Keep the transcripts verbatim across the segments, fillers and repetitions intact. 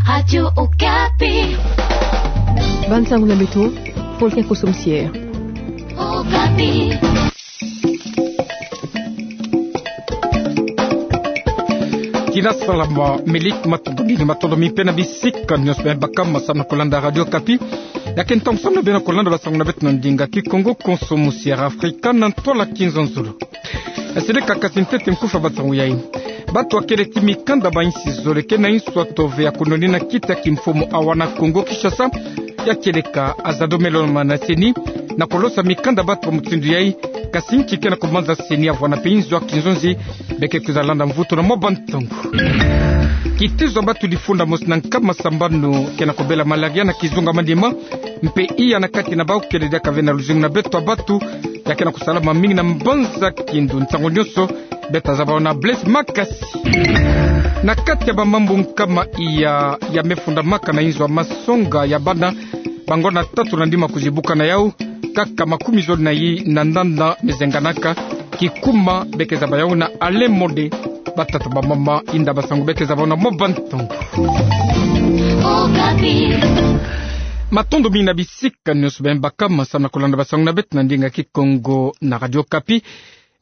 Radio Okapi. Bansango na beto, Voltaire Kosom Sierre. Okapi. Kina salama, Melik, matondo mingi, matondo mingi mpe na bisika nyonso beno baka ma samu na kolanda Radio Okapi. Ya ke ntangu samu na beno kolanda bansango na beto na ndinga Kikongo, Kosom Sierra Africa, na ntola Kinzonzolo. Seleka kasi ntete nkufi ya bansango yai. Bato ya kele ti mikanda ba insi zole ke na insu ya tove ya kunonina kiti ya kimfumu awa na Kongo Kinshasa, ya kieleka Azado Meloma na CENI, na kolosa mikanda bato ya mutindu yai, kasi nki ke na kumanza CENI ya vwanda mpe inzo ya kinzonzi, beke kwiza landa mvutu na mwa bantangu. Kitizo ya bato lifunda mosi na nkama sambanu ke na kubela malaria na kizunga Maniema, mpe iya na kati na bau kele diaka ve na luzingu na beto ya bato, ya ke na kusalama mingi na mbanza kindu. Nsangu nyonso, beto tazaba yo na Blaise Makasi. Na kati ya bamambu nkama iya ya mefundamaka na inzo ya masonga ya bana, bangwala tatu na ndima kuzibuka na yau, kaka makumi zole na yi na nana mezenganaka, kikuma beke zaba yau na Alain Mode. Batata, bamama, inda, basango, beke zaba yo na mwa bantangu. Matondo mingi na bisika nyonso beno baka ma samu na kolanda bansango na beto na ndinga Kikongo na Radio Okapi.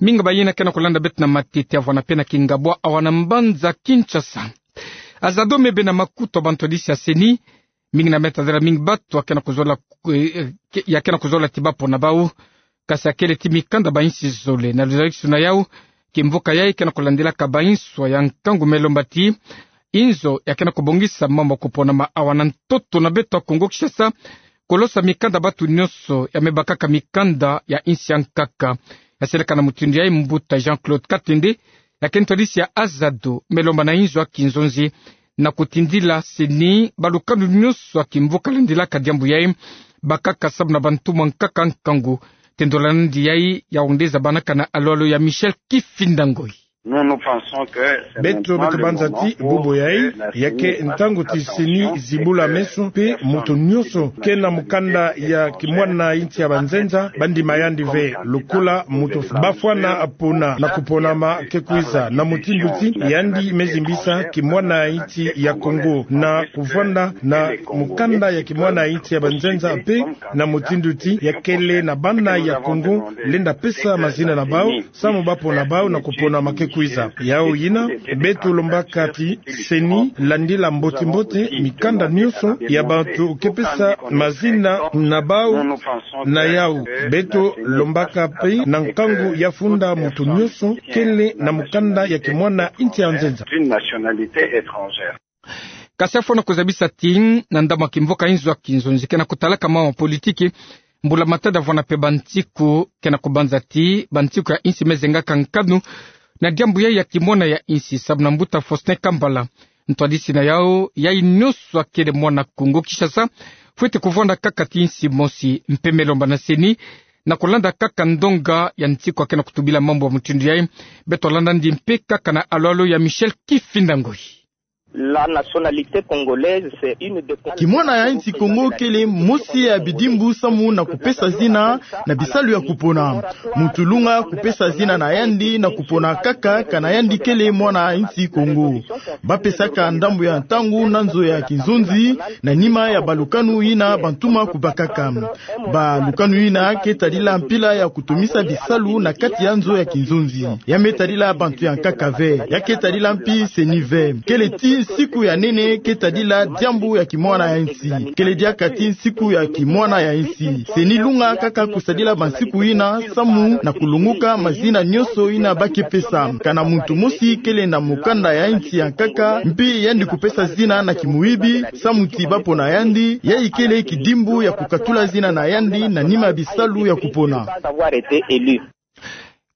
Mingi bayina ke na kolanda beto na matete ya vwanda mpe na kingabwa awa na mbanza Kinshasa. Azado me bena makutu ya bantwadisi ya CENI, mingi na me tadela mingi bato ya ke na kuzola, eh, ke-, ya ke na kuzola ti bapona bau, kasi ya kele ti mikanda ba insi zole. Na luzolakisuna yau, kimvuka yai ke na kulandilaka ba insu ya nkangu me lomba ti inzo ya ke na kubongisa mambu ya kuponama awa na ntoto na beto ya Kongo Kinshasa, kolosa mikanda bato nyonso ya me bakaka mikanda ya insi ya nkaka. Ya seleka na mutindu yai mbuta Jean-Claude Katende, ya ke ntwadisi ya Azado, me lomba na inzo ya kinzonzi, na kutindila CENI balukanu nyonso ya kimvuka landilaka diambu yai, bakaka samu na bantumwa nkaka nkangu. Tendolo na nandi yai ya wendeza banaka na alo-alo ya Michel Kifinda Ngoi. Beto, beto banza ti bubu yai, ya ke ntangu ti CENI zibula meso, mpe moto nyonso ke na mukanda ya kimwana insi ya banzenza, bandima yandi ve. Lokola moto bafwana pona na kuponama ke kwiza, na mutindu ti yandi me zimbisa kimwana insi ya Kongo na kuvwanda na mukanda ya kimwana insi ya banzenza, mpe na mutindu ti ya kele na bana ya Kongo lenda pesa mazina na bau, samu bapona bau na kuponama ke kwiza. Yau yina, beto lombaka ti CENI landila mbote-mbote mikanda nyonso ya bato ke pesa mazina na bau na yau. Beto lombaka mpe na nkangu ya funda moto nyonso kele na mukanda ya kimwana insi ya nzenza. Kasi afwana kuzabisa ti, na ndambu ya kimvuka inzo ya kinzonzi ke na kutalaka mambu ya politiki, mbula matadi ya vwanda mpe bantiku ke na kubanza ti bantiku ya insi me zengaka nkanu na diambu yai ya kimwana ya insi, samu na mbuta Faustin Kambala, ntwadisi na yau, yai nyonso ya kele mwana Kongo Kinshasa fwete kuvwanda kaka ti insi mosi, mpe me lomba na CENI na kulanda kaka ndonga ya ntiku ya ke na kutubila mambu ya mutindu yai. Beto landa nandi mpe kaka na alo-alo ya Michel Kifinda Ngoi. La nationalité congolaise, c'est une des... Kimwana ya insi Kongo kele mosi ya bidimbu samu na kupesa zina na bisalu ya kupona. Moto lunga kupesa zina na yandi na kupona kaka kana yandi kele mwana insi Kongo. Bapesaka ndambu ya ntangu na nzo ya kinzonzi na nima ya balukanu yina bantuma kubakaka. Balukanu yina ke tadila mpila ya kutomisa bisalu na kati ya nzo ya kinzonzi. Ya me tadila bantu ya nkaka ve. Ya ke tadila mpi CENI ve. Kele ti nsiku ya nene ke tadila diambu ya kimwana ya insi. Kele diaka ti nsiku ya kimwana ya insi. CENI lunga kaka kusadila bansiku yina samu na kulunguka mazina nyonso yina ba ke pesa. Kana muntu mosi kele na mukanda ya insi ya nkaka, mpi yandi kupesa zina na kimuyibi, samu ti bapona yandi, yai kele kidimbu ya kukatula zina na yandi na nima bisalu ya kupona.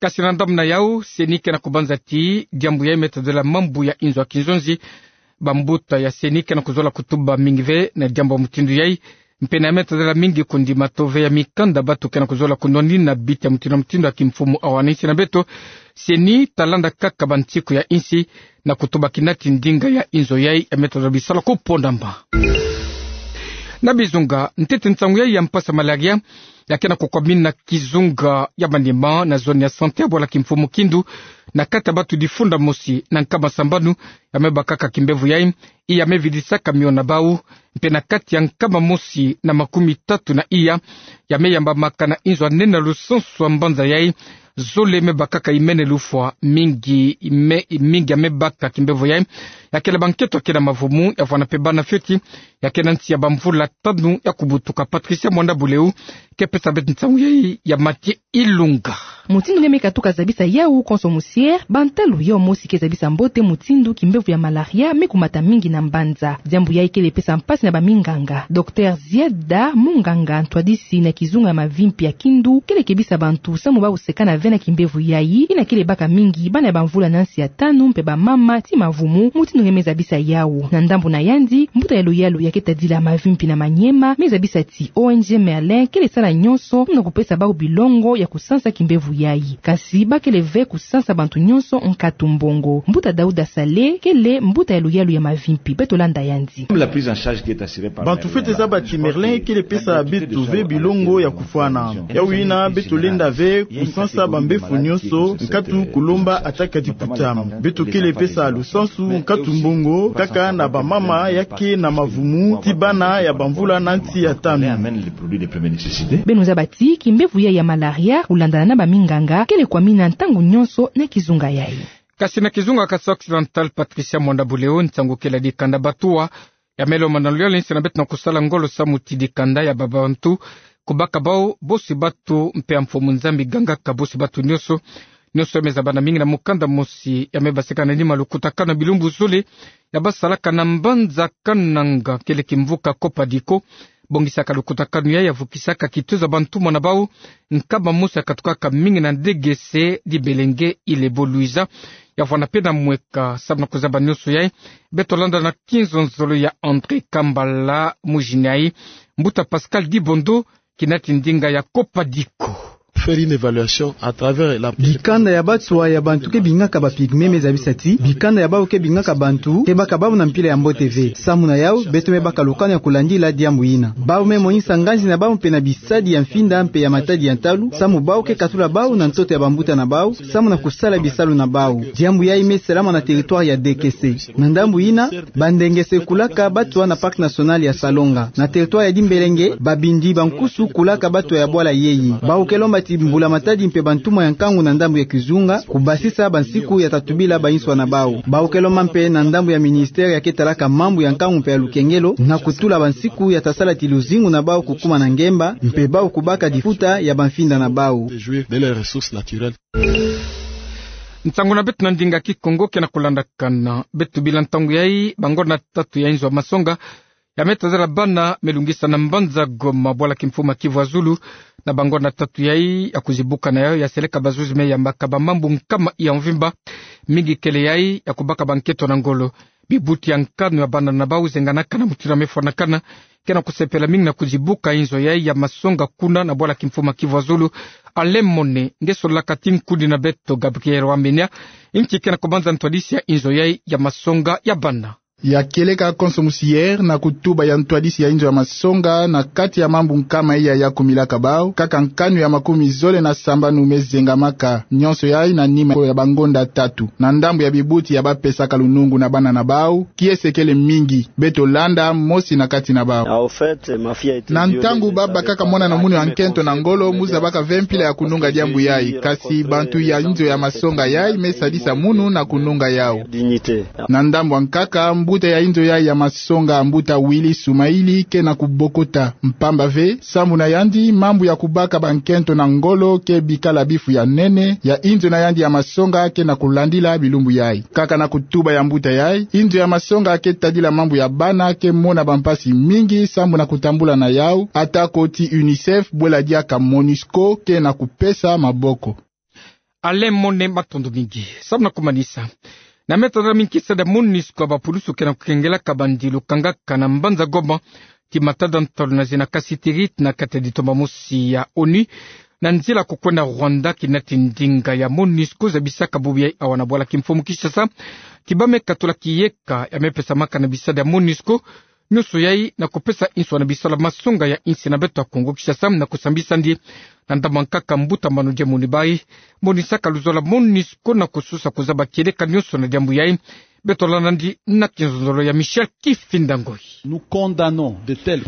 Kasi na ndambu na yau, CENI ke na kubanza ti diambu yai me tadila mambu ya inzo ya kinzonzi. Bambuta ya CENI ke na kuzola kutuba mingi ve na diambu ya mutindu yai. Mpe na ya me tadila mingi kundima tove ya mikanda bato ke na kuzola kunwanina biti ya mutindu na mutindu ya kimfumu awa na insi na beto. CENI talanda kaka bantiku ya insi na kutuba kina ti ndinga ya inzo yai ya me tadila bisalu kuponama. Na bizunga, ntete nsangu yai ya mpasi ya malaria ya ke na kukwamina kizunga ya Maniema na zone ya santé ya bwala kimfumu Kindu, na kati ya bantu difunda mosi na nkama sambanu ya me bakaka kimbevo yai, iya me vidisaka miona bau, mpe na kati ya nkama mosi na makumi tatu na iya ya me yambamaka na inzo ya nene ya lusansu ya mbanza yai, zole me bakaka imene lufwa mingi, me, mingi ya me baka kimbevo yai, ya kele bankento ya ke na mavumu, ya vwanda mpe bana fioti ya ke na nsi ya bamvula tanu ya kubutuka. Patricia Mwanda Buleu ke pesa beto nsangu yai ya Mathieu Ilunga. Mutindu nge me katuka zabisa yau konso musiere, bantalu yau mosi ke zabisa mbote mutindu kimbevo ya malaria me kumata mingi na mbanza. Diambu yai kele pesa mpasi na baminganga. Docteur Zieda, munganga ntwadisi na kizunga ya mavimpi ya Kindu, kele kebisa bantu samu bau sekana ve na kimbevo yai, ina kele baka mingi bana ya bamvula na nsi ya tanu mpe bamama ti mavumu, mutindu nge me zabisa yau. Na ndambu na yandi, mbuta ya luyalu ya ke tadila mavimpi na Maniema me zabisa ti O N G Merlin kele sala nyonso na kupesa bau bilongo ya kusansa kimbevo yai. Kasi ba kele ve kusansa bantu nyonso nkatu mbongo. Mbuta Dauda Saleh kele mbuta ya luyalu ya mavimpi, beto landa yandi. Bantu fwete zaba ti Merlin kele pesa beto ve bilongo ya kufwana. Yau yina beto lenda ve kusansa bambefo nyonso, nkatu kulomba ata ka diputa. Beto kele pesa lusansu nkatu mbongo kaka na bamama ya ke na mavumu ti bana ya bamvula na nsi ya tanu. Beno zaba ti kimbevo yai ya malaria, kulandana na baminganga, kele kwamina ntangu nyonso na kizunga yai. Kasi na kizunga ya Kasaï Occidental, Patricia Mwanda Buleu, nsangu kele ya dikanda batuwa ya me lomba na luyalu nsi na beto na kusala ngolo samu ti dikanda ya babantu, kubaka bau bosi batu mpe ya mfumu Nzambi gangaka bosi batu nyonso. Nyonso ya me zabana mingi na mukanda mosi ya me baseka na nima lukutakanu ya bilumbu zole ya basalaka na mbanza Kananga, kele kimvuka Copadico. Bongisaka lukutakanu yai ya vukisaka kituza bantumwa na bau nkama mosi ya katukaka mingi na D G C, Dibelenge, Ile-Ebo, Luiza. Ya vwanda mpe na mweka. Samu na kuzaba nyonso yai, beto landa na kinzonzolo ya André Kambala, mujini yai, mbuta Pascal Dibondo, kina ti ndinga ya Copadico. Faire une évaluation à travers la... Dikanda ya batuwa ya bantu ke bingaka ba pygmées me zabisa ti bikanda ya bau ke bingaka bantu ke baka bau na mpila ya mbote ve. Samu na yau, beto me baka lukanu ya kulandila diambu yina. Bau me monisa nganzi na bau mpe na bisadi ya mfinda mpe ya matadi ya ntalu, samu bau ke katula bau na ntoto ya bambuta na bau, samu na kusala bisalu na bau. Diambu yai me salama na territoire ya D G C. Na ndambu yina, bandengese kulaka batuwa na Parc National ya Salonga. Na territoire ya Dimbelenge, babindi bankusu kulaka batuwa ya bwala yeye. Bau ke lomba ti mbula matadi mpe bantumwa ya nkangu na ndambu ya kizunga kubasisa bansiku ya ta tubila banswa na bau. Bau ke lomba mpe na ndambu ya ministère ya ke talaka mambu ya nkangu mpe ya lukengelo na kutula bansiku ya ta sala ti luzingu na bau kukuma na ngemba, mpe bau kubaka difuta ya bamfinda na bau. Nsangu na beto na ndinga Kikongo ke na kulandakana. Beto bila ntangu yai, bangonda tatu ya inzo ya masonga ya me tadila bana me lungisa na mbanza Goma, bwala kimfumu ya Kivu ya Zulu. Na bangonda tatu yai, ya kuzibuka na yau ya seleka bazuzi me yambaka bamambu nkama ya mvimba. Mingi kele yai ya kubaka bankento na ngolo. Bibuti ya nkanu ya bana na bau zenganaka na mutindu ya me fwanakana ke na kusepela mingi na kuzibuka inzo yai ya masonga kuna na bwala kimfumu ya Kivu ya Zulu. Alain Mone, nge sololaka ti nkudi na beto Gabriel Wamenya, nki ke na kubanza ntwadisi ya inzo yai ya masonga ya bana. Ya kieleka konso musiere na kutuba ya ntwadisi ya inzo ya masonga na kati ya mambu nkama iya ya kumilaka bau, kaka nkanu ya makumi zole na sambanu me zengamaka. Nyonso yai na nima ya bangonda tatu. Na ndambu ya bibuti ya bapesaka lunungu na bana na bau, kiese kele mingi. Beto landa mosi na kati na bau. Na ntangu babakaka mwana na munu ya nkento na ngolo, mu zabaka ve mpila ya kununga diambu yai, kasi bantu ya inzo ya masonga yai me sadisa munu na kununga yau. Na ndambu ya nkaka, mbuta ya inzo yai ya masonga, mbuta Willy Soumaïli, ke na kubokota. Mpamba ve, samu na yandi, mambu ya kubaka bankento na ngolo ke bikala bifu ya nene ya inzo na yandi ya masonga ke na kulandila bilumbu yai. Kaka na kutuba ya mbuta yai, inzo ya masonga ke tadila mambu ya bana ke mona bampasi mingi samu na kutambula na yau, atako ti UNICEF bwela diaka MONUSCO ke na kupesa maboko. Alain Mone, matondo mingi. Samu na kumanisa, na me tadila mingi kisadi ya MONUSCO, bapulusu ke na kukengelaka bandi lukangaka na mbanza Goma ti matada ntalu na zina Kasitiriti na kati ya ditomba mosi ya ONU, na nzila kukwenda Rwanda. Kina ti ndinga ya MONUSCO zabisaka bubu yai awa na bwala kimfumu Kinshasa ti ba me katula kiyeka ya me pesamaka na bisadi ya MONUSCO nyonso yai na kupesa inswa na biso la masonga ya insi na beto ya Kongo Kinshasa na kusambisa ndi na ndambu ya nkaka mbuta manu diambu ni bai. Monisaka luzolo la MONUSCO na kusosa kuzaba kieleka nyonso na diambu yai. Beto landa ndi na kinzonzolo ya Michel Kifinda Ngoi.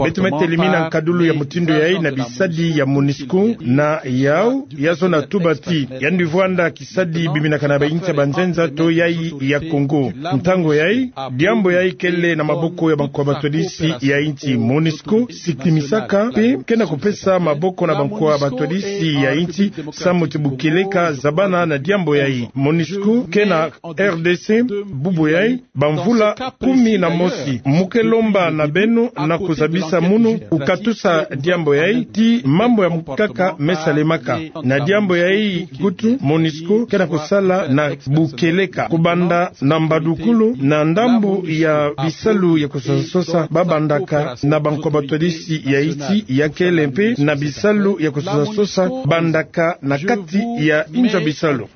Beto me telemina nkadulu ya mutindu yai na bisadi ya MONUSCO na yau ya zona tuba ti yandi vwanda kisadi biminaka na bainsi ya banzenza to yai ya Kongo. Ntangu yai, diambu yai kele na maboko ya bankwa batwadisi ya insi. MONUSCO sikimisaka mpe ke na kupesa maboko na bankwa batwadisi ya insi samu ti bukieleka zabana na diambu yai. MONUSCO ke na R D C bubu yai bamvula kumi na mosi. Mu ke lomba na beno na kuzabisa munu kukatusa diambu yai ti mambu ya nkaka me salemaka. Na diambu yai kutu MONUSCO ke na kusala na bukieleka kubanda na mbadukulu na ndambu ya bisalu ya kusosasosa babandaka na bankwa batwadisi ya insi ya kele mpe na bisalu ya kusosasosa bandaka na kati ya inzo bisalu.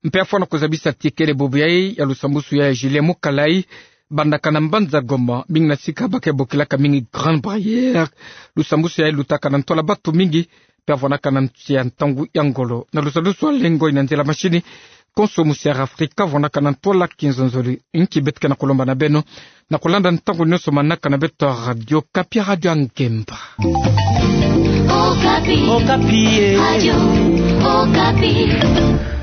Mpe afwana kuzabisa ti kele bubu yai ya lusambusu ya Julien Mukalai bandaka na mbanza Goma, mingi na sika ba ke bokilaka mingi Grande Barrière. Lusambusu yai lutaka na ntwala batu mingi, mpe avwanaka na nsi ya ntangu ya ngolo. Na lusambusu ya lengoi na nzila mashini, konso musi ya Afrika avwanaka na ntwala kinzonzolo. Nki beto ke na kulomba na beno na kulanda ntangu nyonso manaka na beto ya Radio Okapi, Radio ya Ngemba. Okapi. Okapi, eh. Radio Okapi.